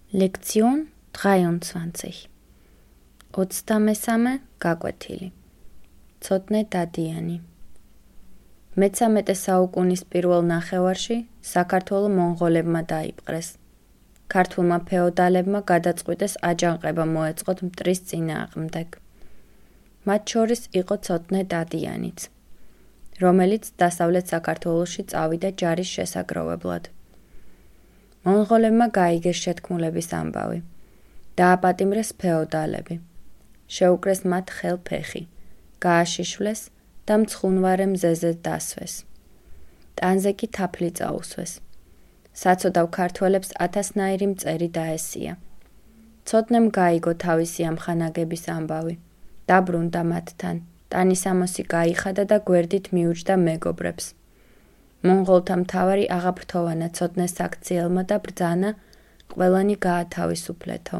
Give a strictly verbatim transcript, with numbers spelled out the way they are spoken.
Lektion dreiundzwanzig. ოცდამესამე გაკვეთილი. ცოტნე დადიანი. მეცამეტე საუკუნის პირველ ნახევარში საქართველო მონღოლებმა დაიპყრეს. ქართულმა ფეოდალებმა გადაწყვიტეს აჯანყება მოეწყოთ მტრის წინააღმდეგ. მათ შორის იყო ცოტნე დადიანიც, რომელიც დასავლეთ საქართველოში წავიდა ჯარის შესაგროვებლად. მონღოლებმა გაიგეს შეთქმულების ამბავი. დააპატიმრეს ფეოდალები. შეუკრეს მათ ხელ ფეხი, გააშიშვლეს და მცხუნვარე მზეზე დასვეს. ტანზე კი თაფლი წაუსვეს. საცოდავ ქართველებს ათასნაირი მწერი დაესია. ცოტნემ გაიგო თავისი ამხანაგების ამბავი. დაბრუნდა მათთან, ტანისამოსი გაიხადა და გვერდით მიუჯდა მეგობრებს. მონღოლთა მთავარი აღაფრთოვანა ცოტნეს საქციელმა და ბრძანა ყველანი გაათავისუფლეთო.